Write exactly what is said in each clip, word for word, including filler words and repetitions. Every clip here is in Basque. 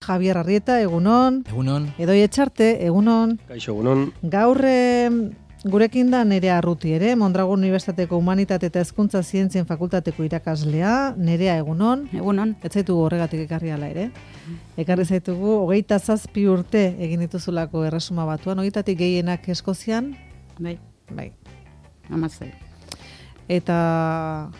Javier Arrieta, egunon. Egunon. Edoi Etxarte, egunon. Kaixo, egunon. Gaur eh, gurekin da Nerea Arruti ere, Mondragon Unibertsitateko Humanitate eta Hezkuntza Zientzien Fakultateko irakaslea. Nerea, egunon. Egunon. Ez zaitugu horregatik ekarri ala ere. Ekarri zaitugu, hogeita zazpi urte egin dituzulako Erresuma Batuan, hogeitatik gehienak Eskozian. Bai. Bai. Amazai. Eta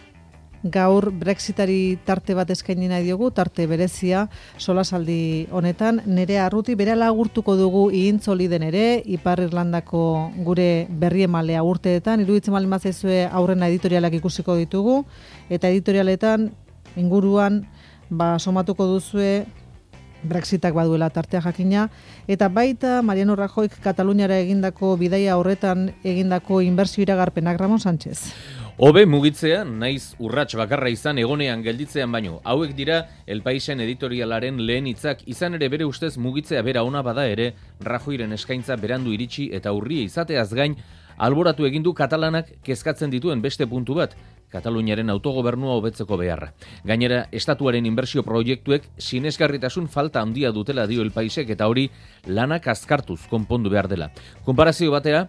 gaur Brexitari tarte bat eskaini nahi diogu, tarte berezia solasaldi honetan. Nerea Arruti berala agurtuko dugu ihintzoli den ere, Ipar Irlandako gure berriemalea urteetan, iruditzen baldin bazaizue aurrena editorialak ikusiko ditugu, eta editorialetan inguruan ba, somatuko duzue Brexitak baduela tartea jakina, eta baita Mariano Rajoyk Kataluniara egindako bidaia horretan egindako inbertsio iragarpenak. Ramon Sánchez. Hobe mugitzea, naiz urrats bakarra izan egonean gelditzean baino. Hauek dira El Paisen editorialaren lehen hitzak, izan ere bere ustez mugitzea bera ona bada ere, Rajoyren eskaintza berandu iritsi eta urria izateaz gain, alboratu egin du katalanak kezkatzen dituen beste puntu bat, Kataluniaren autogobernua hobetzeko beharra. Gainera, estatuaren inbertsio proiektuek sinesgarritasun falta handia dutela dio El Paisek eta hori lanak azkartuz konpondu behar dela. Konparazio batera,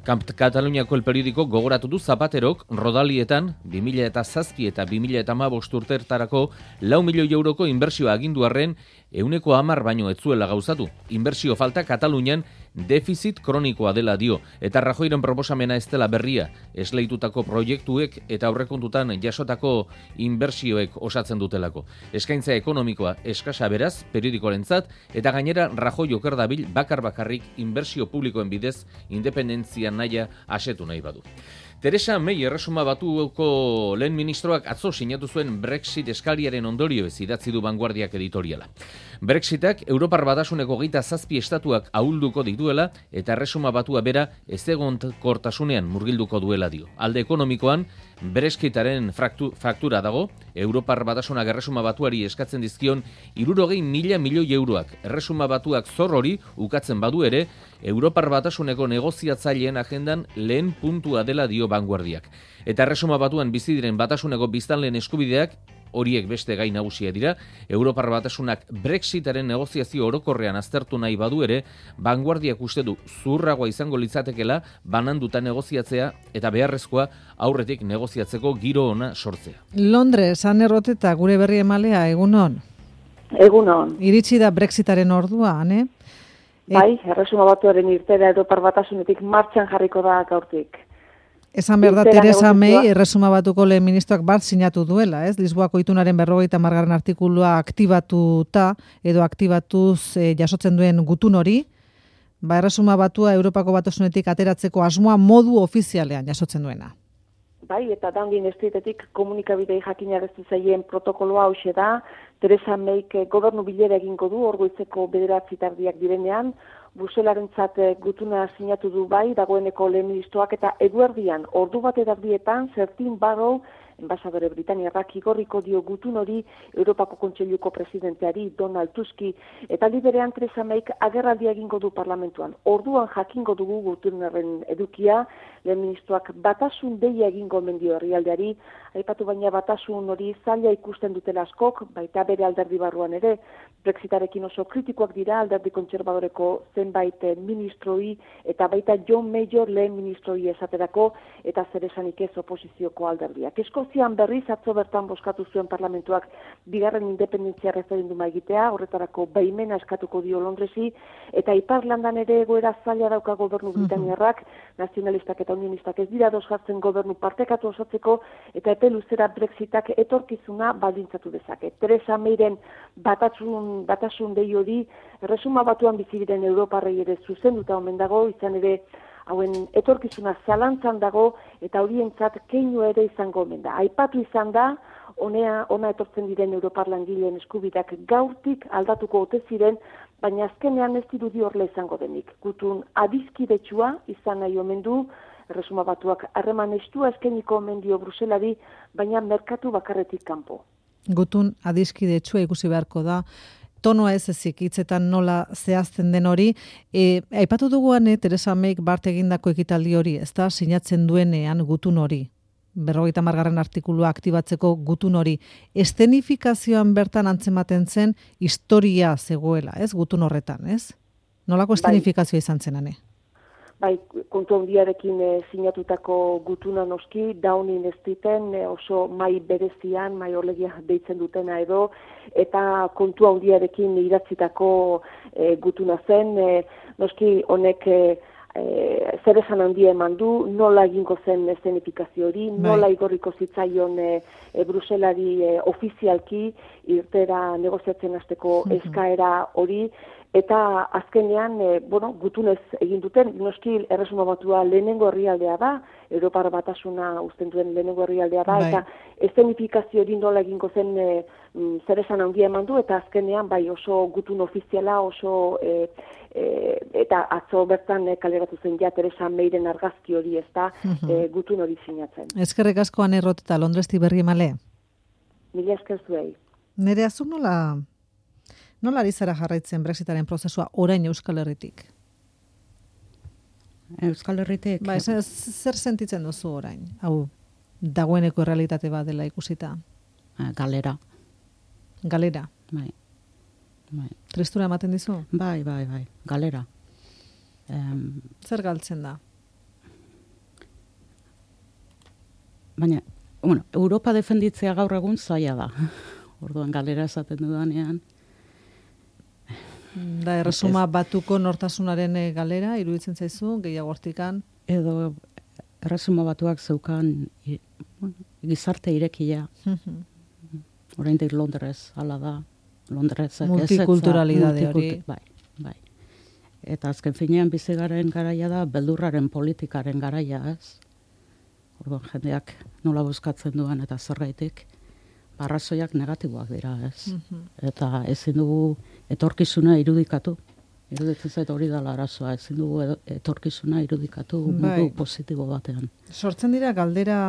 Kataluniako El Periodiko gogoratu du Zapaterok rodalietan bi mila zazpi eta bi mila hamabost urteetarako lau milioi euroko inbertsioa agindu arren ehuneko hamar baino ez zuela gauzatu. Inbertsio falta Katalunian defizit kronikoa dela dio, eta Rajoyren proposamena ez dela berria, esleitutako proiektuek eta aurrekontutan jasotako inbertsioek osatzen dutelako. Eskaintza ekonomikoa eskasa beraz, periodikoarentzat, eta gainera Rajoy oker dabil bakar bakarrik inbertsio publikoen bidez independentzia naia asetu nahi badu. Theresa May Erresuma Batuko lehen ministroak atzo sinatu zuen Brexit eskariaren ondorioez idatzi du Vanguardiak editoriala. Brexitak Europar Batasuneko hogeita zazpi estatuak ahulduko dituela eta Erresuma Batua bera ezegonkortasunean murgilduko duela dio. Alde ekonomikoan, Brexitaren faktura dago, Europar Batasunak Erresuma Batuari eskatzen dizkion hirurogei mila milioi euroak. Erresuma Batuak zor hori ukatzen badu ere, Europar Batasuneko negoziatzaileen agendan lehen puntua dela dio Vanguardiak. Eta Erresuma Batuan bizi diren Batasuneko biztanleen eskubideak, horiek beste gai nagusia dira, Europar Batasunak Brexitaren negoziazio orokorrean aztertu nahi badu ere, Vanguardiak uste du zurragoa izango litzatekela bananduta negoziatzea eta beharrezkoa aurretik negoziatzeko giro ona sortzea. Londres, Ane Roteta, gure berri emalea, egunon. Egunon. Iritsi da Brexitaren ordua, Ane? Bai, Erresuma Batuaren irtera Europar Batasunetik martxan jarriko da gaurtik. Esan behar da, Theresa May Erresuma Batuko lehen ministroak bat sinatu duela, ez? Lisboako itunaren berrogeita margarren artikulua aktibatuta edo aktibatuz e, jasotzen duen gutun hori, ba Erresuma Batua Europako Batasunetik ateratzeko asmoa modu ofizialean jasotzen duena. Bai, eta Downing Streetetik komunikabidei jakinarazi zaien protokoloa hauxe da, Theresa Mayk gobernu bilera egingo du orgoizeko bederatzi tardiak direnean, Bruselarentzat gutuna sinatu du bai, dagoeneko lehen ministroak eta eguerdian ordu bat edardietan Certain Barrow, enbasadore Britaniarrak igorriko dio gutun hori Europako Kontseiluko presidenteari Donald Tuski, eta liberean Theresa Mayk agerraldia egingo du parlamentuan. Orduan jakingo dugu gutunaren edukia, lehen ministroak batasun deia egingo mendio herrialdeari, aipatu baina batasun hori zaila ikusten dutela askok, baita bere alderdi barruan ere, Brexitarekin oso kritikoak dira alderdi kontserbadoreko zenbait ministroi, eta baita John Major lehen ministroi esaterako, eta zer esanik ez oposizioko alderdiak. Eskozian berriz atzo bertan bozkatu zuen parlamentuak bigarren independentzia referenduma egitea, horretarako baimena eskatuko dio Londresi, eta Ipar Irlandan ere egoera zaila dauka gobernu Britaniarrak, nazionalistak eta unionistak ez dira ados jartzen gobernu partekatu osatzeko, eta epe luzera Brexitak etorkizuna baldintzatu dezake. Theresa Mayren batasun, batasun dei hori Erresuma Batuan bizi diren Europarrei ere zuzenduta omen dago, izan ere hauen etorkizuna zalantzan dago eta horientzat keinu ere izango omen da. Aipatu izan da, honea, ona etortzen diren Europar langileen eskubideak gaurtik aldatuko ote ziren, baina azkenean ez dirudi horrela izango denik. Gutun adiskidetsua izan nahi omen du, Erresuma Batuak harreman estua eskainiko omen dio Bruselari, baina merkatu bakarretik kanpo. Gutun adiskidetsua ikusi beharko da, tonoa ez ezik hitzetan nola zehazten den hori. E, aipatu duguan, Theresa Mayk bart egindako ekitaldi hori, ez da, sinatzen duenean gutun hori. berrogeita hamargarren artikulua aktibatzeko gutun hori. Estenifikazioan bertan antzematen zen historia zegoela, ez? Gutun horretan, ez? Nolako estenifikazioa izan zen, ane? Bai, kontu handiarekin e, sinatutako gutuna noski, daunin ez diten e, oso mai berezian, mai orlegia deitzen dutena edo, eta kontu handiarekin idatzitako e, gutuna zen, e, noski honek e, e, zer esan handia eman du, nola egingo zen eszenifikazio hori, nola igorriko zitzaion e, e, Bruselari e, ofizialki irtera negoziatzen hasteko eskaera hori, eta azkenean, e, bueno, gutunez egin duten, noski Erresuma Batua lehenengo herrialdea da, Europar Batasuna uzten duen lehenengo herrialdea da, bai. Eta eszenifikazio hori nola egingo zen e, zer esan handia eman du, eta azkenean bai oso gutun ofiziala, oso e, e, eta atzo bertan e, kaleratu zen ja Teresa Meiren argazki hori, ez da, uh-huh. e, gutun hori sinatzen. Eskerrik asko Ane Rot eta Londresti berri male. Mila esker zuei. Nere azuk nola... Nola ari zara jarraitzen Brexitaren prozesua orain Euskal Herritik? Euskal Herritik? Ba, zer, zer sentitzen duzu orain? Hau, dagoeneko realitate bat dela ikusita? Galera. Galera? Bai. Bai. Tristura ematen dizu? Bai, bai, bai. Galera. Um, zer galtzen da? Baina, bueno, Europa defenditzea gaur egun zaila da. Orduan galera esaten dudanean. Da, Erresuma Batuko nortasunaren galera, iruditzen zaizu, gehiago hortikan? Edo, Erresuma Batuak zeukan i, bueno, gizarte irekia. Oraindik Londres, hala da. Londres, multikulturalidade hori. Bai, bai. Eta azken finean bizigaren garaia da, beldurraren politikaren garaia, ez? Orduan jendeak nola bozkatzen duan eta zergaitik. Arrazoiak negatiboak dira, ez? Uh-huh. Eta ezin dugu etorkizuna irudikatu. Iruditzen zait hori dela arazoa, ezin dugu etorkizuna irudikatu bai. Modu positibo batean. Sortzen dira galdera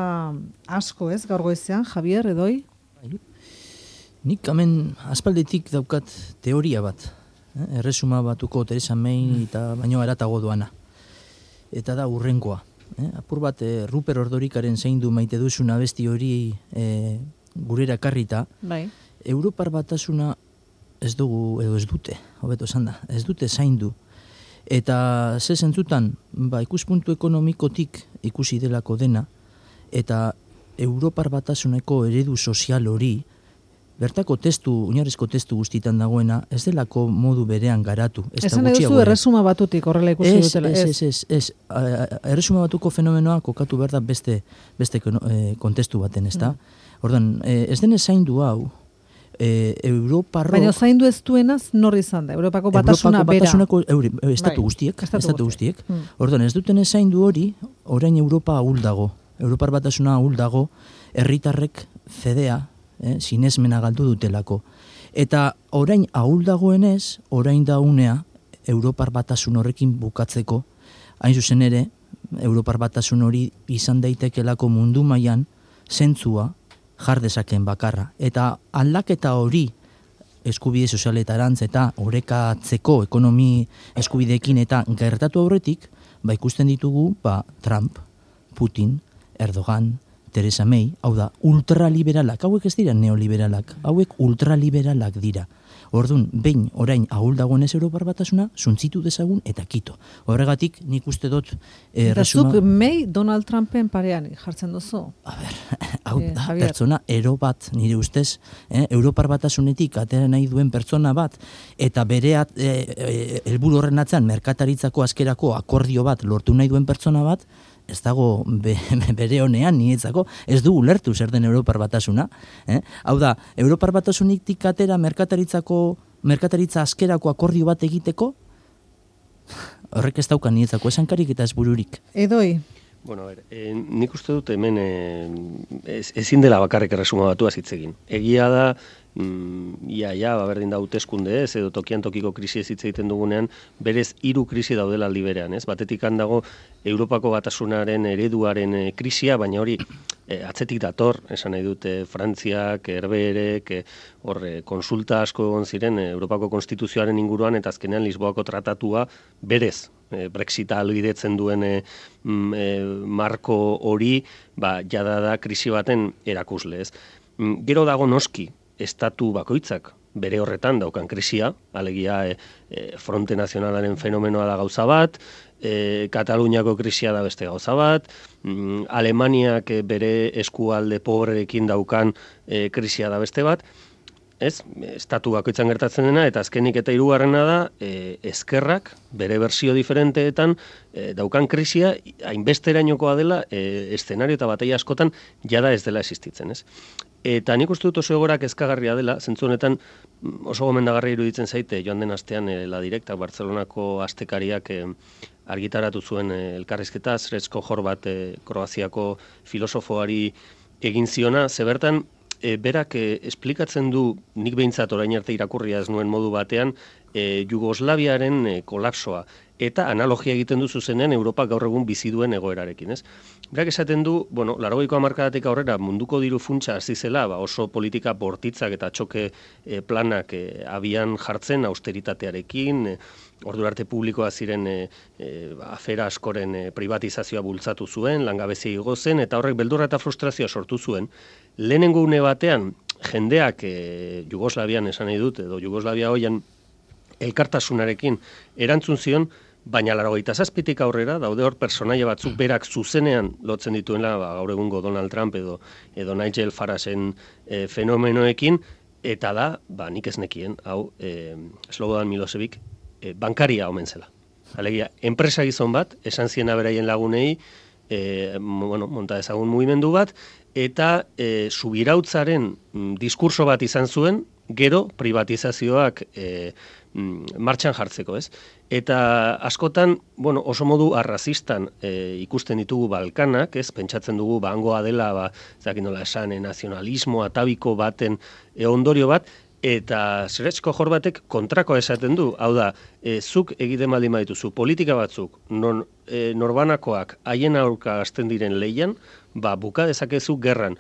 asko, ez? Gaur goizean, Javier, edoi? Bai. Nik hemen aspalditik daukat teoria bat. Eh? Erresuma Batuko Teresa May eta baino eratago doana. Eta da urrenkoa. Eh? Apur bat, eh, Ruper Ordorikaren zaindu maite duzun abesti hori... Eh, gurera karrita, bai. Europar Batasuna ez dugu, edo ez dute, hobeto esan da, ez dute zaindu. Eta ze zentzutan, ba, ikuspuntu ekonomikotik ikusi delako dena, eta Europar Batasuneko eredu sozial hori, bertako testu, oinarrizko testu guztitan dagoena, ez delako modu berean garatu. Esan edo zu Erresuma Batutik horrela ikusi ez, dutela. Ez, ez, ez, ez. Erresuma Batuko fenomenoa kokatu behar da beste, beste kontestu baten, ez da? Mm. Orduan, ez denez zaindu hau, e, Europarro... Baina zaindu ez duenaz norri izan da, Europako Batasuna Europako bera. Batasunako euri, estatu guztiek, bai, estatu, estatu guztiek. guztiek. Mm. Orduan, ez duten ez zaindu hori, orain Europa ahul dago. Europar Batasuna ahul dago, herritarrek fedea, eh, sinesmena galdu dutelako. Eta orain ahul dagoenez, orain da unea, Europar Batasun horrekin bukatzeko, hain zuzen ere, Europar Batasun hori izan daitekelako mundu mailan zentzua, jar dezaken bakarra. Eta aldaketa hori eskubide sozialetarantz eta orekatzeko ekonomi eskubideekin eta gertatu aurretik, ba ikusten ditugu ba, Trump, Putin, Erdogan, Teresa May, hau da, ultraliberalak, hauek ez dira neoliberalak, hauek ultraliberalak dira. Orduan, behin orain ahul dagoenez Europar Batasuna, zuntzitu dezagun eta kito. Horregatik nik uste dut... Eh, eta resuma... zuk May Donald Trumpen parean jartzen duzu? A ber, hau da, eh, pertsona ero bat, nire ustez, eh, Europar Batasunetik atera nahi duen pertsona bat, eta bere helburu eh, eh, horren atzean merkataritzako askerako akordio bat lortu nahi duen pertsona bat, ez dago be, bere honean nietzako, ez du ulertu zer den Europar Batasuna. Eh? Hau da, Europar Batasunik atera merkataritzako, merkataritza askerako akordio bat egiteko, horrek ez dauka nietzako esankarik eta ez bururik. Edoi? Bueno, a ver, eh, nik uste dut hemen eh, ez, ezin dela bakarrik Erresuma Batuaz hitz egin. Egia da mm, ia, ia, ba, berdin da hauteskunde ez, edo tokian tokiko krisi ez hitz egiten dugunean, berez hiru krisi daudela aldi berean, ez? Batetik handago Europako batasunaren ereduaren e, krisia, baina hori e, atzetik dator, esan nahi dute Frantziak, Herberek, e, hor e, konsulta asko egon ziren e, Europako konstituzioaren inguruan, eta azkenean Lisboako tratatua berez, e, Brexita ahalbidetzen duen e, mm, e, marko hori, ba, jada da krisi baten erakusle, ez? Mm, gero dago noski, estatu bakoitzak bere horretan daukan krisia, alegia e, e, Fronte Nazionalaren fenomenoa da gauza bat, e, Kataluniako krisia da beste gauza bat, mm, Alemaniak e, bere eskualde pobrerekin daukan e, krisia da beste bat, ez, estatu bakoitzan gertatzen dena, eta azkenik eta hirugarrena da, e, ezkerrak, bere bersio diferenteetan, e, daukan krisia, hainbesterainokoa dela, e, eszenario eta bataia askotan, jada ez dela existitzen, ez? Eta nik uste dut oso egorak ezkagarria dela, zentzu honetan oso gomendagarria iruditzen zaite, joan den astean e, La Directa, Bartzelonako astekariak e, argitaratu zuen e, elkarrizketa, Srećko Horvat, e, Kroaziako filosofoari egin ziona, ze bertan, E, berak e, esplikatzen du, nik behintzat orain arte irakurria ez nuen modu batean, e, Jugoslaviaren e, kolapsoa, eta analogia egiten du zuzenean Europa gaur egun bizi duen egoerarekin, ez? Berak esaten du, bueno, laurogeiko hamarkadatik aurrera munduko diru funtsa hasi zela, ba, oso politika bortitzak eta txoke e, planak e, abian jartzen austeritatearekin, e, ordura arte publikoa ziren e, e, afera askoren e, privatizazioa bultzatu zuen, langabezia igo zen, eta horrek beldurra eta frustrazioa sortu zuen. Lehenengo une batean, jendeak e, Jugoslavian esan nahi dut, edo Jugoslavia hoian elkartasunarekin erantzun zion, baina laurogeita zazpitik aurrera, daude hor personaia batzuk berak zuzenean lotzen dituela, ba, gaur egungo Donald Trump edo, edo Nigel Faragen e, fenomenoekin, eta da, ba, nik ez nekien, hau, e, Slobodan Milosevic, e, bankaria omen zela. Alegia, enpresa gizon bat, esan ziena beraien lagunei, e, bueno, monta ezagun mugimendu bat, eta e, subirautzaren mm, diskurso bat izan zuen, gero privatizazioak e, mm, martxan jartzeko, ez? Eta askotan, bueno, oso modu arrazistan e, ikusten ditugu Balkanak, ez? Pentsatzen dugu bangoa dela, ba, zakin nola esan, e, nazionalismo atabiko baten e, ondorio bat, eta Srećko Horvatek kontrakoa esaten du, hau da, e, zuk egiten baldin badituzu politika batzuk, non e, norbanakoak haien aurka hasten diren leian, ba, buka dezakezu gerran.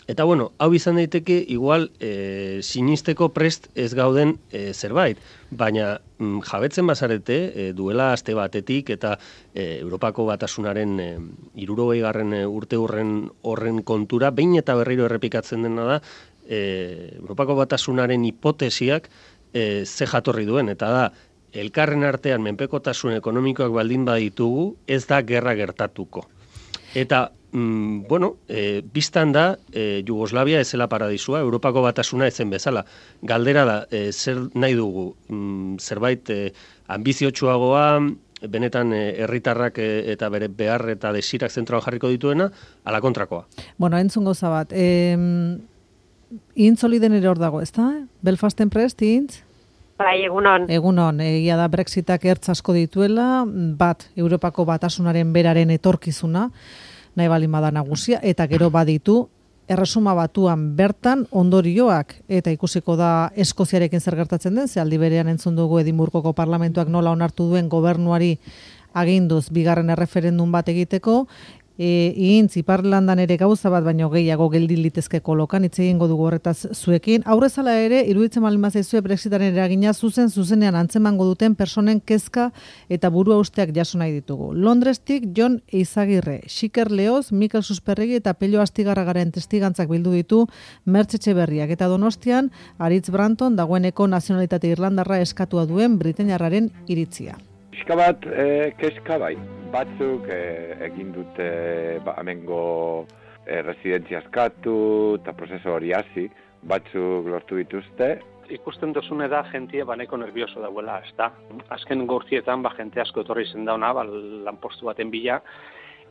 Eta bueno, hau izan daiteke igual e, sinisteko prest ez gauden e, zerbait, baina mm, jabetzen bazarete e, duela aste batetik eta e, Europako batasunaren e, hirurogei garren e, urte horren horren kontura, behin eta berriro errepikatzen dena da, e, Europako batasunaren hipotesiak e, ze jatorri duen, eta da, elkarren artean menpekotasun ekonomikoak baldin baditugu, ez da gerra gertatuko. Eta Mm, bueno, e, biztan da, e, Jugoslavia ezela paradisua, Europako batasuna ezen bezala. Galdera da, e, zer nahi dugu, mm, zerbait e, ambiziotsuagoa, benetan herritarrak e, eta bere behar eta desirak zentroan jarriko dituena, ala kontrakoa. Bueno, entzun gauza bat, e, intzoliden ere hor dago, ez da? Belfasten prest, intz? Bai, egunon. Egunon, egia da Brexitak ertz asko dituela, bat, Europako batasunaren beraren etorkizuna, nahi balin bada nagusia, eta gero baditu, erresuma batuan bertan ondorioak, eta ikusiko da Eskoziarekin zer gertatzen den, ze aldi berean entzun dugu Edinburgoko parlamentuak nola onartu duen gobernuari aginduz bigarren erreferendum bat egiteko, E, Ihintz, Iparlandan ere gauza bat baino gehiago geldi litezke kolokan, hitz egingo dugu horretaz zuekin. Aurrezala ere, iruditzen malin bazaizue Brexitaren eragina zuzen, zuzenean antzemango duten personen kezka eta burua usteak jaso nahi ditugu. Londrestik Jon Eizagirre, Xiker Leoz, Mikel Susperregi eta Pello Astigarragaren testigantzak bildu ditu Mertxe Etxeberriak. Eta Donostian, Aritz Branton dagoeneko nazionalitate irlandarra eskatua duen britainiarraren iritzia. Pixka bat, e, keska bai. Batzuk e, egin dute ba, amengo e, residentzia eskatu eta prozesu hori hasi, batzuk lortu dituzte. Ikusten dozune da jentie baneko nervioso dauela, ez da? Azken gortietan ba, jente asko etorri zen dauna, ba, lanpostu baten bila,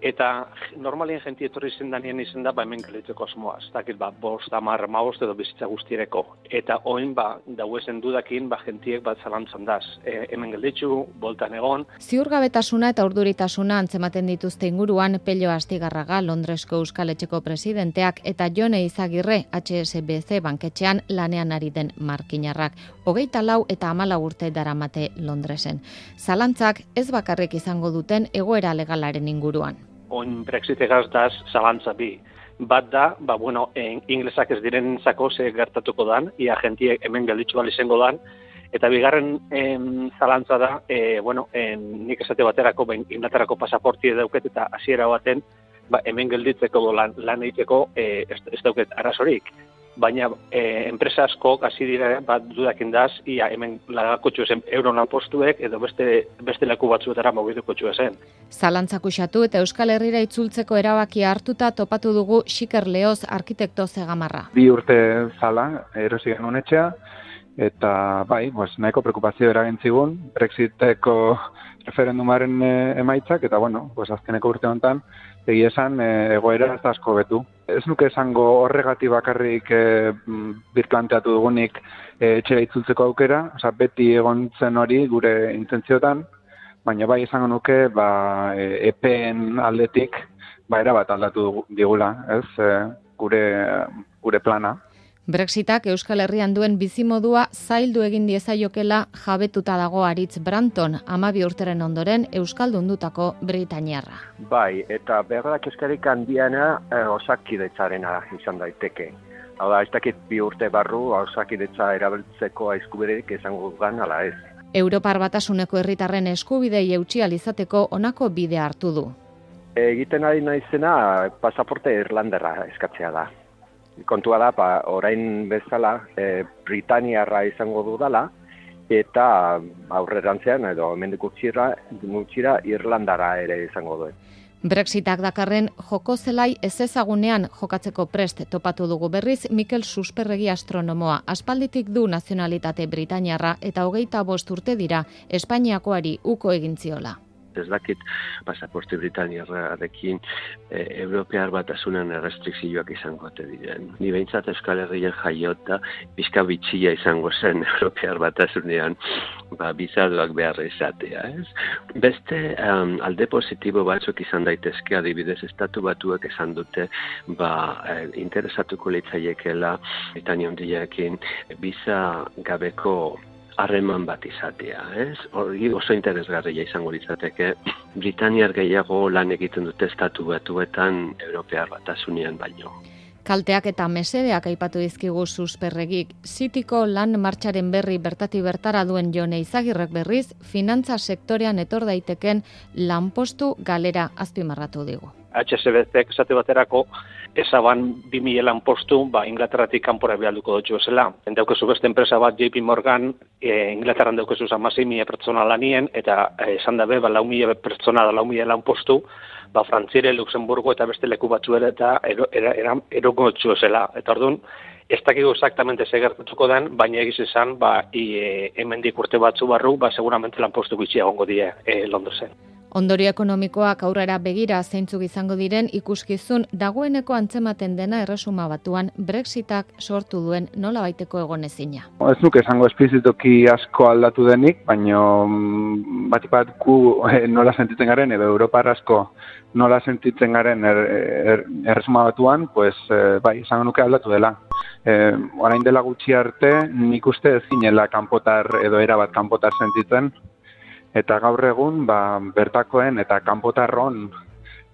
Eta normalien jenti etorri zendanien izen da, ba, hemen gelditzeko asmoa. Ez dakit, ba, bost, amar, maost edo bizitza guztiereko. Eta oin, ba, dauezen dudakin, ba, jentiek bat zalantzan daz. E, hemen gelditzu, boltan egon. Ziurgabetasuna eta urduritasuna antzematen dituzte inguruan Pello Astigarraga, Londresko Euskal Etxeko presidenteak, eta Jone Izagirre, H S B C banketxean lanean ari den markinarrak. Hogeita lau eta hamalau urte daramate Londresen. Zalantzak ez bakarrik izango duten egoera legalaren inguruan. Oin Brexit egaz daz zalantza bi. Bat da, ba, bueno, en, inglesak ez diren zako ze gertatuko dan, ia jentiek hemen gelditzu bali izango dan, eta bigarren em, zalantza da, e, bueno, en, nik esate baterako, ben, Inglaterrako pasaporti dauket eta hasiera baten, ba, hemen gelditzeko lan, lan egiteko e, ez, ez dauket arazorik. Baina e, enpresa asko hasi dira bat dudakin daz, ia hemen lagakotxu esen euron lanpostuek edo beste, beste leku batzuetara mugituko txu esen. Zalantzak usatu eta Euskal Herrira itzultzeko erabakia hartuta topatu dugu Xiker Leoz arkitekto zegamarra. Bi urte zala, erosi genuen etxea, eta bai, pues, nahiko preokupazio eragentzigun, Brexiteko referendumaren e, emaitzak, eta bueno, pues, azkeneko urte honetan, egia esan e, egoera ez asko betu. Ez nuke esango horregatik bakarrik e, birplanteatu dugunik e, etxera itzultzeko aukera, osea, beti egon zen hori gure intentziotan, baina bai esango nuke ba, e, epeen aldetik ba, erabat aldatu digula, ez, e, gure, gure plana. Brexitak Euskal Herrian duen bizimodua zaildu egin diezaiokela jabetuta dago Aritz Branton, hamabi urteren ondoren euskaldundutako britainiarra. Bai, eta berda kezkarik handiena eh, osakidetzarena izan daiteke. Hau da, ez dakit bi urte barru osakidetza erabiltzeko eskubiderik izango dugan ala ez. Europar Batasuneko herritarren eskubidei eutsi ahal izateko honako bidea hartu du. Egiten ari naizena pasaporte irlanderra eskatzea da. Kontua da, ba, orain bezala e, Britaniarra izango dudala, eta aurrerantzean edo hemendik gutxira, gutxira Irlandara ere izango duen. Brexitak dakarren joko zelai ezezagunean jokatzeko prest topatu dugu berriz Mikel Susperregi astronomoa. Aspalditik du nazionalitate Britaniarra eta hogeita bost urte dira Espainiakoari uko egin ziola. Ez dakit pasaporte Britaniarrarekin e, Europear Batasunan restrikzioak izango ote diren. Ni behintzat Euskal Herrian jaiota pixka bitxia izango zen Europear Batasunean ba, bizadoak behar izatea. Ez? Beste um, alde positibo batzuk izan daitezke, adibidez Estatu Batuak esan dute ba, eh, interesatuko litzaiekela Britania Handiarekin biza gabeko harreman bat izatea, ez? Hori oso interesgarria izango litzateke. Britaniar gehiago lan egiten dute Estatu Batuetan Europear Batasunean baino. Kalteak eta mesedeak aipatu dizkigu Susperregik. Zitiko lan martxaren berri bertati bertara duen Jone Izagirrek berriz, finantza sektorean etor daiteken lanpostu galera azpimarratu digu. H S B C esate baterako ezaban bi mila lanpostu ba, Inglaterratik kanpora bialduko dutxu esela. Endaukezu beste enpresa bat J P Morgan, e, Inglaterran daukezu hamasei mila pertsona lanien, eta esan dabe, ba, lau mila pertsona da lau mila lanpostu, ba, Frantziere, Luxemburgo eta beste leku batzuera eta ero, era, era, eroko dutxu esela. Eta orduan, ez dakigu exactamente ze gertatuko den, baina egiz esan, ba, e, hemendik urte batzu barru, ba, seguramente lanpostu gutxi egongo die e, Londresen. Ondorio ekonomikoak aurrera begira zeintzuk izango diren ikuskizun dagoeneko antzematen dena Erresuma Batuan Brexitak sortu duen nolabaiteko egonezina. Ez nuke esango esplizitoki asko aldatu denik, baina batik bat gu eh, nola sentitzen garen edo Europar asko nola sentitzen garen er, er, Erresuma Batuan, pues, eh, bai, esango nuke aldatu dela. Eh, orain dela gutxi arte nik uste ez ginela kanpotar edo erabat kanpotar sentitzen, eta gaur egun ba, bertakoen eta kanpotarron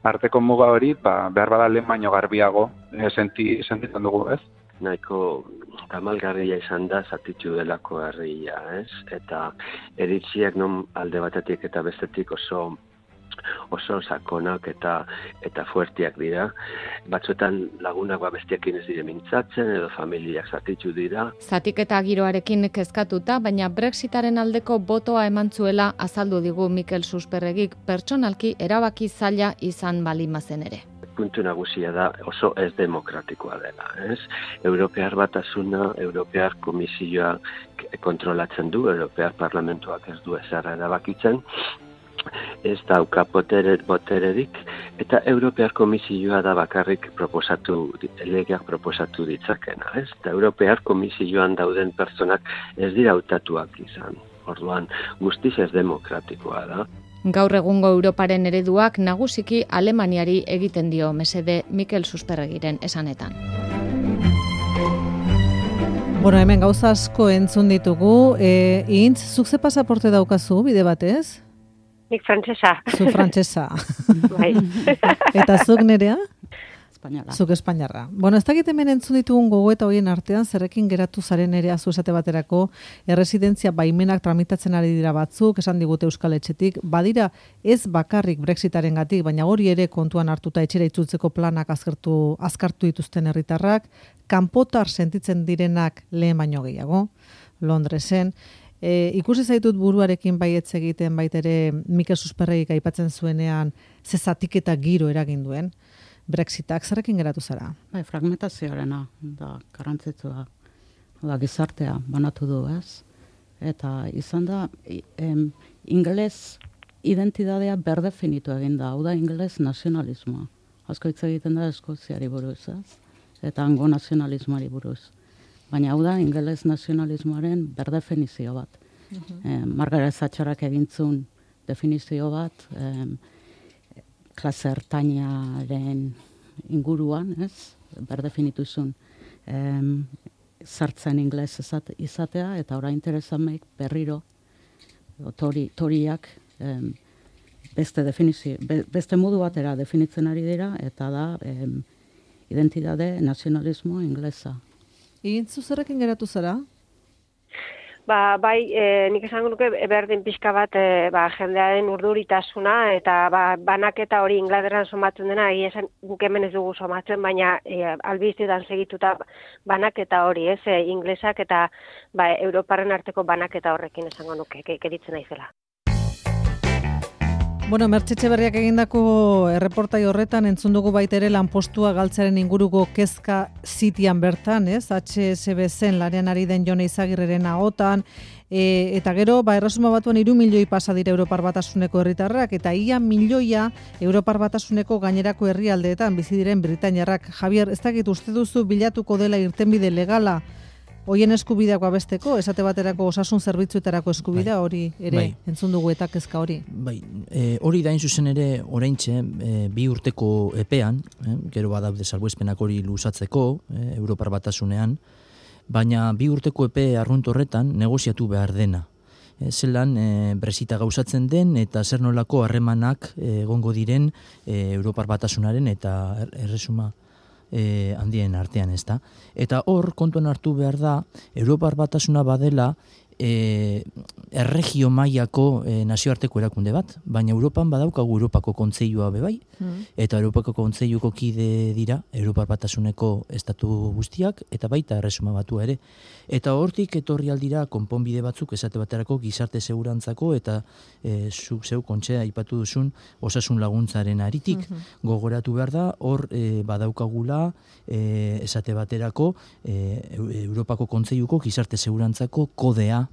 arteko muga hori ba, behar bada lehen baino garbiago e, senti, sentitzen dugu, ez? Nahiko tamalgarria izan da zatitu delako herria, ez? Eta eritziak non alde batetik eta bestetik oso oso sakonak eta eta fuertiak dira. Batzuetan lagunak bestiakin ez dire mintzatzen edo familiak zatitu dira. Zatiketa giroarekin kezkatuta, baina Brexitaren aldeko botoa eman zuela azaldu digu Mikel Susperregik, pertsonalki erabaki zaila izan balimazen ere. Puntu nagusia da oso ez demokratikoa dela, ez? Europear Batasuna, Europear Komisioa kontrolatzen du, Europear Parlamentuak ez du ezer erabakitzen, ez dauka botere, botererik Eta Europear Komisioa da bakarrik proposatu, legeak proposatu ditzakena, ez? Eta Europear Komisioan dauden pertsonak ez dira hautatuak izan. Orduan, guztiz ez demokratikoa da. Gaur egungo Europaren ereduak nagusiki Alemaniari egiten dio mesede Mikel Susperregiren esanetan. Bueno, hemen gauza asko entzun ditugu. E, Intz, zuk ze pasaporte daukazu, bide batez? Nik frantsesa. Zu frantsesa. Bai. Eta zuk Nerea? Espainiarra. Zuk espainiarra. Bueno, ez dakit hemen entzun ditugun gogoeta horien artean, zerrekin geratu zaren Nerea zu esate baterako, erresidentzia baimenak tramitatzen ari dira batzuk, esan digute Euskal Etxetik, badira ez bakarrik Brexitarengatik, baina hori ere kontuan hartuta etxera itzultzeko planak azkartu, azkartu dituzten herritarrak, kanpotar sentitzen direnak lehen baino gehiago, Londresen. E, ikusi zaitut buruarekin baietz egiten baitere Mikel Susperregik aipatzen zuenean ze zatiketa giro eragin duen Brexitak, zerrekin geratu zara? Bai, fragmentazioarena da garrantzitsua. Da gizartea banatu du, ez? Eta izan da em, ingeles identitatea berdefinitu egin da, hau da ingeles nazionalismoa. Asko hitz egiten da Eskoziari buruz, ez? Eta hango nazionalismoari buruz. Baina hau da ingeles nazionalismoaren berdefinizio bat. Uh-huh. eh, Margaret Thatcherak egintzun definizio bat, eh, klase ertainaren inguruan, ez? Berdefinitu zuen eh, sartzen ingeles izatea, eta orain interesamek berriro tori, toriak eh, beste, definizio, be, beste modu batera definitzen ari dira, eta da eh, identitate nazionalismo inglesa. Intzu zerrekin geratu zara? Ba, bai, e, nik esango nuke berdin pixka bat e, ba, jendearen urduritasuna eta ba, banaketa hori Inglaterran somatzen dena, esan guk hemen ez dugu somatzen, baina e, albiztetan segituta banaketa hori, ez, e, inglesak eta ba, Europaren arteko banaketa horrekin esango nuke, keritzen naizela. Bueno, Mertxe Etxeberriak egindako erreportai horretan entzun dugu baita ere lanpostua galtzaren inguruko kezka zitian bertan, ez? H S B C-en lanean ari den Jone Izagirreren ahotan, e, eta gero, ba, Erresuma Batuan hiru milioi pasa dira Europar Batasuneko herritarrak, eta ia milioia Europar Batasuneko gainerako herrialdeetan bizi diren Britainiarrak. Javier, ez dakit uste duzu bilatuko dela irtenbide legala hoien eskubideak babesteko, esate baterako osasun zerbitzuetarako eskubidea, hori ere bai. Entzun dugu eta kezka hori. Bai, e, hori da zuzen ere oraintxe e, bi urteko epean, e, gero badaude salbuespenak hori luzatzeko, e, Europar Batasunean, baina bi urteko epe arrunt horretan negoziatu behar dena. E, zelan e, Brexita gauzatzen den eta zer nolako harremanak egongo diren e, Europar Batasunaren eta Erresuma E, handien artean, ez da. Eta hor, kontuan hartu behar da, Europar Batasuna badela e, erregio mailako e, nazioarteko erakunde bat, baina Europan badaukagu Europako Kontseilua bebai, mm. eta Europako Kontseiluko kide dira Europar Batasuneko estatu guztiak, eta baita Erresuma Batua ere. Eta hortik etorri aldira konponbide batzuk esate baterako gizarte segurantzako eta e, zuk zeu kontxea aipatu duzun osasun laguntzaren aritik. Mm-hmm. Gogoratu behar da, hor e, badaukagula e, esate baterako e, Europako Kontseiluko gizarte segurantzako kodea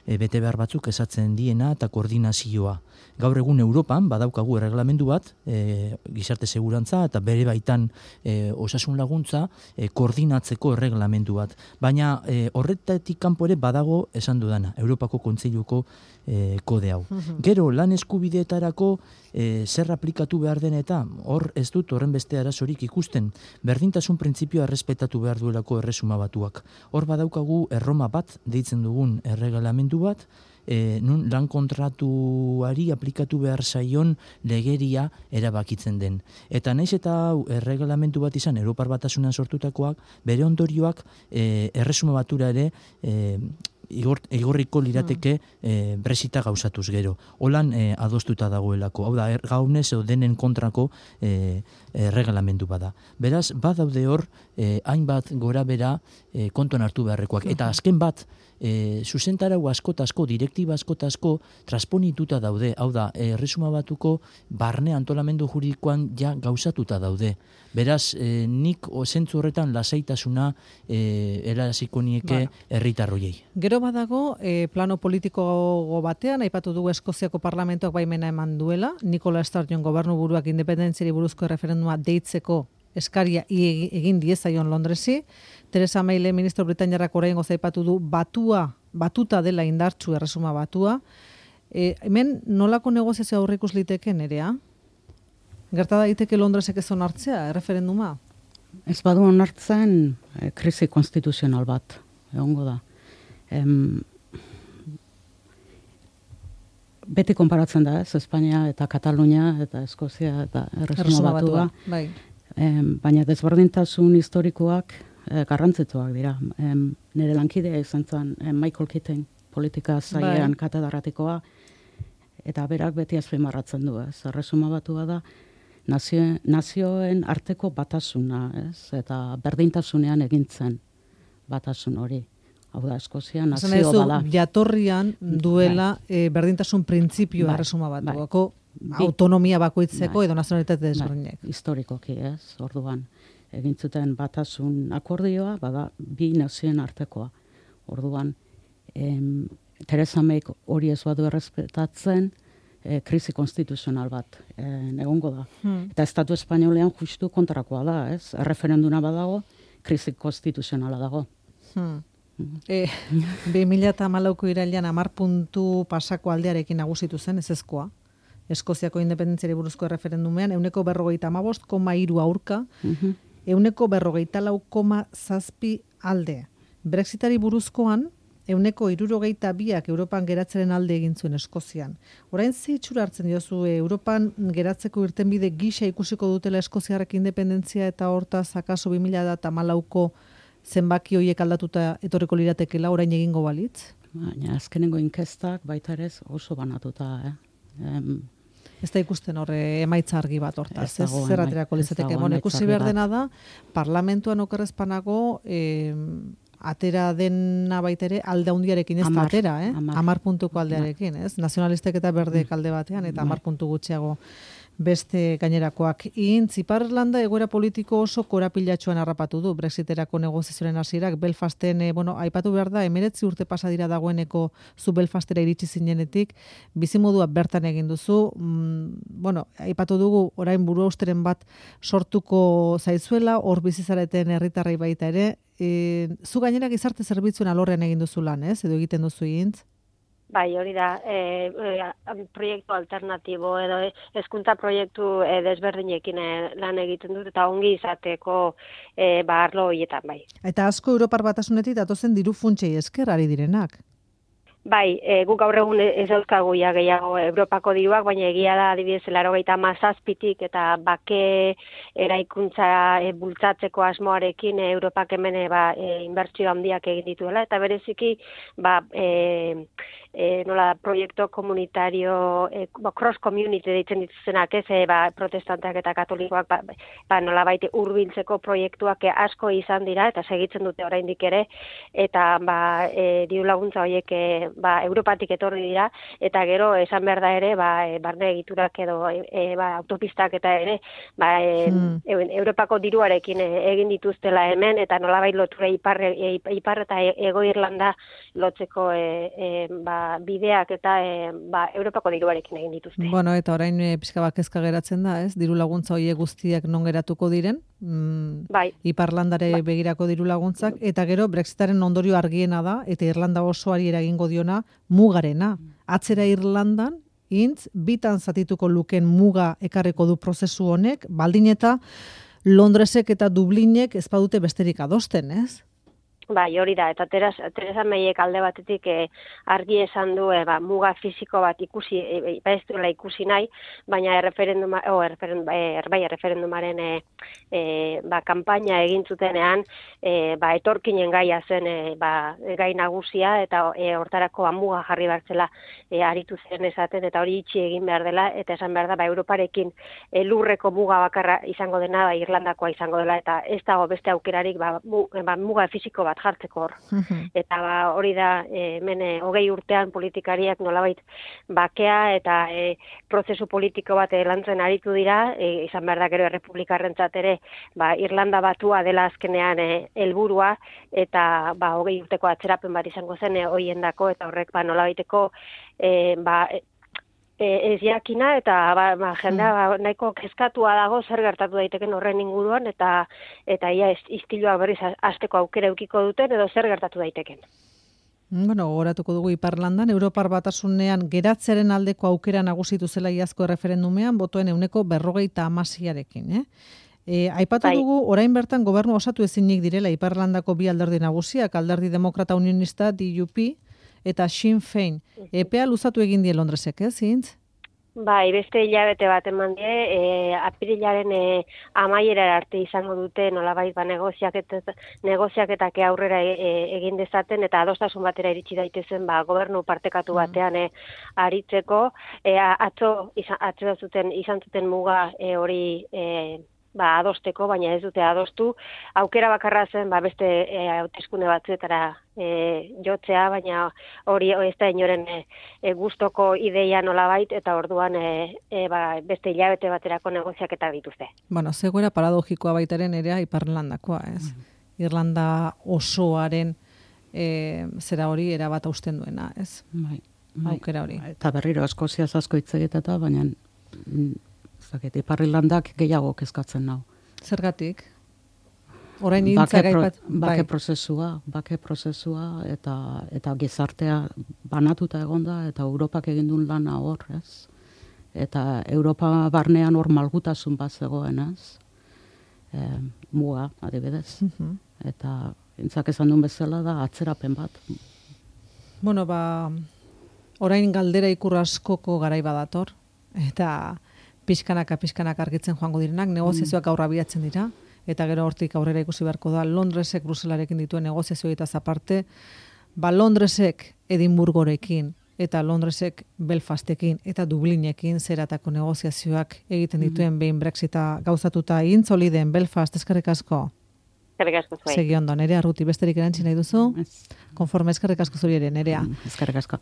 e, bete behar batzuk esatzen diena eta koordinazioa. Gaur egun Europan badaukagu erreglamendu bat, e, gizarte segurantza eta bere baitan e, osasun laguntza e, koordinatzeko erreglamendu bat. Baina e, horretatik kanpo ere badago esan dudana, Europako Kontseiluko e, kode hau. Uh-huh. Gero lan eskubideetarako e, zer aplikatu behar den eta hor ez dut horren beste arazorik ikusten. Berdintasun printzipioa errespetatu behar duelako Erresuma Batuak. Hor badaukagu Erroma bat deitzen dugun erreglamendu bat, E, nun lan kontratuari aplikatu behar zaion legeria erabakitzen den. Eta naiz eta erreglamentu bat izan Europar Batasunean sortutakoak, bere ondorioak e, Erresuma Batura ere e, igor, igorriko lirateke e, Brexita gauzatuz gero. Holan e, adostuta dagoelako. Hau da, er, gaunez edo denen kontrako e, erreglamendu bada. Beraz, badaude hor, e, hainbat gora bera e, kontuan hartu beharrekoak. Eta azken bat, e, zuzentarau askotazko, direktiba askotazko transponituta daude. Hau da, Erresuma Batuko barne antolamendu juridikoan ja gauzatuta daude. Beraz, e, nik zentzu horretan lasaitasuna e, eraziko nieke herritarroiei. Gero badago, e, plano politiko batean, aipatu dugu Eskoziako parlamentoak baimena eman duela, Nikola Sturgeon gobernu buruak independentziari buruzko referenduma deitzeko eskaria egin diezaion Londresi. Theresa May ministro britainiarrak oraingoz aipatu du batua, batuta dela indartsu Erresuma Batua. E, hemen nolako negoziazio aurreikus liteke Nerea? Gerta daiteke Londresek ez onartzea, erreferenduma? Ez badu onartzen, e, krisi konstituzional bat, egongo da. Em, beti konparatzen da, ez, Espainia eta Katalunia eta Eskozia eta Erresuma Batua. Bai. Em, baina desberdintasun historikoak e, garrantzitsuak dira. Em, nire lankidea izan zen em, Michael Keating, politika zailean bai. Katedarratikoa, eta berak beti azpimarratzen du, ez. Erresuma Batua da, nazio, nazioen arteko batasuna, ez, eta berdintasunean egintzen batasun hori. Hau da, Eskozia nazio bada. Jatorrian duela bai. e, berdintasun printzipio bai. Erresuma Batuako bai. autonomia bakoitzeko bai. Edo nazionalitate desberdinak. Bai. Historikoki, ez, orduan. Egintzuten batasun akordioa, bada, bi nazioen artekoa. Orduan, em, Theresa May hori ez badu errespetatzen, e, krisi konstituzional bat e, egongo da. Hmm. Eta Estatu Espainolean justu kontrakoa da, ez? Erreferenduna badago, krisi konstituzionala dago. Hmm. E, bi mila hamalauko irailean hamar puntu pasako aldearekin nagusitu zen ezezkoa. Eskoziako independentziari buruzko erreferendumean, euneko berrogeita hamabost koma hiru aurka, uh-huh. euneko berrogeita lau koma zazpi alde. Brexitari buruzkoan, euneko hirurogeita biak Europan geratzeren alde egin zuen Eskozian. Orain ze itxura hartzen diozu Europan geratzeko irtenbide gisa ikusiko dutela Eskoziarrek independentzia eta hortaz akaso bi mila hamalauko zenbaki horiek aldatuta etorriko liratekela orain egingo balitz? Baina azkenengo inkestak baita ere oso banatuta, eh? Em, ez da ikusten horre emaitza argi bat hortaz, ez zer aterako lizateke. Bueno, ikusi behar dena da, parlamentuan okerrezpanago eh, atera dena baita ere alde handiarekin ez da atera, eh? Amar puntuko aldearekin, ez? Nazionalistek eta berdek alde batean, eta amar puntu gutxiago beste gainerakoak. Intz, Ipar-Irlanda egoera politiko oso korapilatxoan harrapatu du Brexiterako negoziazioaren hasierak. Belfasten, eh, bueno, aipatu behar da, emeretzi urte pasa dira dagoeneko zu Belfastera iritsi zinenetik, bizimodua bertan egin duzu, mm, bueno, aipatu dugu orain buru austeren bat sortuko zaizuela, hor bizizareten herritarrei baita ere, e, zu gainera gizarte zerbitzuen alorrean egin duzu lan, ez? Edo egiten duzu Intz? Bai, hori da, e, e, proiektu alternatibo edo hezkuntza proiektu e, desberdinekin e, lan egiten dut eta ongi izateko e, ba, arlo horietan, bai. Eta asko Europar Batasunetik datozen diru funtsei esker ari direnak. Bai, e, guk gaur egun ez dauzkagu ja gehiago Europako diruak, baina egia da adibidez laurogeita hamazazpitik eta bake eraikuntza e, bultzatzeko asmoarekin e, Europak hemen e, ba, e, inbertsio handiak egin dituela, eta bereziki ba, e, e, nola proiektu komunitario, e, ba, cross community deitzen dituzenak, ez, e, ba, protestanteak eta katolikoak ba, ba, nola baite hurbiltzeko proiektuak e, asko izan dira, eta segitzen dute oraindik ere, eta ba, e, diru laguntza horiek e, ba, Europatik etorri dira, eta gero esan behar da ere, ba, e, barne egiturak edo e, ba, autopistak eta ere, ba, e, hmm. e, Europako diruarekin e, egin dituztela hemen, eta nolabait lotura ipar, e, ipar eta Ego Irlanda lotzeko e, e, ba, bideak eta e, ba, Europako diruarekin egin dituzte. Bueno, eta orain e, pixka bat kezka geratzen da, ez? Diru laguntza horiek guztiak non geratuko diren? Mm, bai. Iparlandare bai. Begirako diru laguntzak, eta gero Brexitaren ondorio argiena da, eta Irlanda osoari eragingo diona mugarena. Atzera Irlandan, Intz, bitan zatituko luken muga ekarriko du prozesu honek, baldin eta Londresek eta Dublinek ez badute besterik adosten, ez? Bai, hori da, eta Theresa Mayek alde batetik e, argi esan du e, ba, muga fisiko bat ikusi, e, ez duela ikusi nahi, baina erreferenduma, o, erreferendum, e, bai, erreferendumaren e, e, ba, kampaina egin zutenean, e, ba, etorkinen gaia zen e, ba, gai nagusia, eta e, hortarako ba, muga jarri bartzela e, aritu zen esaten, eta hori itxi egin behar dela, eta esan behar da, ba, Europarekin e, lurreko muga bakarra izango dena, ba, Irlandakoa izango dela, eta ez dago beste aukerarik ba, mu, ba, muga fisiko bat bat jartzeko hor. Eta ba, hori da, e, hemen e, hogei urtean politikariak nolabait bakea eta e, prozesu politiko bat e, lantzen aritu dira, e, izan behar da gero errepublikarrentzat ere, ba, Irlanda batua dela azkenean e, helburua eta ba, hogei urteko atzerapen bat izango zen e, hoiendako eta horrek ba, nolabaiteko e, ba, E, ez jakina eta ba, ba, jendea ba, nahiko kezkatua dago zer gertatu daiteken horren inguruan eta eta ia istiluak berriz hasteko aukera eukiko duten edo zer gertatu daiteken. Bueno, gogoratuko dugu Iparlandan, Europar Batasunean geratzearen aldeko aukera nagusitu zela iazko erreferendumean, botoen euneko berrogeita hamaseiarekin, eh? E, aipatu bai. dugu, orain bertan gobernu osatu ezinik direla Iparlandako bi alderdi nagusiak, alderdi demokrata unionista D U P, eta Sinn Féin. Epea luzatu egin die Londresek, ez, zintz? Bai, beste hilabete bat eman die, e, apirilaren e, amaiera arte izango dute nolabait ba negoziaketak negoziaketak aurrera e, egin dezaten eta adostasun batera iritsi daitezen ba gobernu partekatu batean e, aritzeko, e, atzo izan atzo zuten izan zuten muga e, hori e, ba adosteko, baina ez dute adostu. Aukera bakarra zen ba beste e, hauteskunde batzuetara e, jotzea, baina hori ez da inoren e, e, gustoko ideia nolabait eta orduan e, e, ba, beste hilabete baterako negoziaketa dituzte. Bueno, zegoera paradogikoa baitaren ere Iparlandakoa, ez? Mm. Irlanda osoaren e, zera hori erabat hausten duena, ez? Bai, bai. Aukera hori. Eta berriro Eskoziaz asko hitz egiteta, baina zaket, Iparlandak gehiago kezkatzen nau. Zergatik? Orain intza gaipat... Bake prozesua, bake prozesua, eta eta gizartea banatuta egonda, eta Europak egin duen lana hor, ez? Eta Europa barnean hor malgutasun bat zegoen, ez? E, muga, adibidez. Uh-huh. Eta intzak esan duen bezala da atzerapen bat. Bueno, ba, orain galdera ikur askoko garai badator, eta pixkanaka, pixkanaka argitzen joango direnak, negoziazioak aurra bilatzen dira, eta gero hortik aurrera ikusi beharko da, Londresek Bruselarekin dituen negoziazioetaz aparte, ba Londresek Edinburgorekin, eta Londresek Belfastekin, eta Dublinekin zeratako negoziazioak egiten dituen behin Brexita gauzatuta intzoliden Belfast, eskerrik asko. Eskerrik asko zuei. Segi ondo, Nerea Arruti, besterik erantzi nahi duzu? Ez. Konforme eskerrik asko zuri ere, Nerea. Eskerrik asko.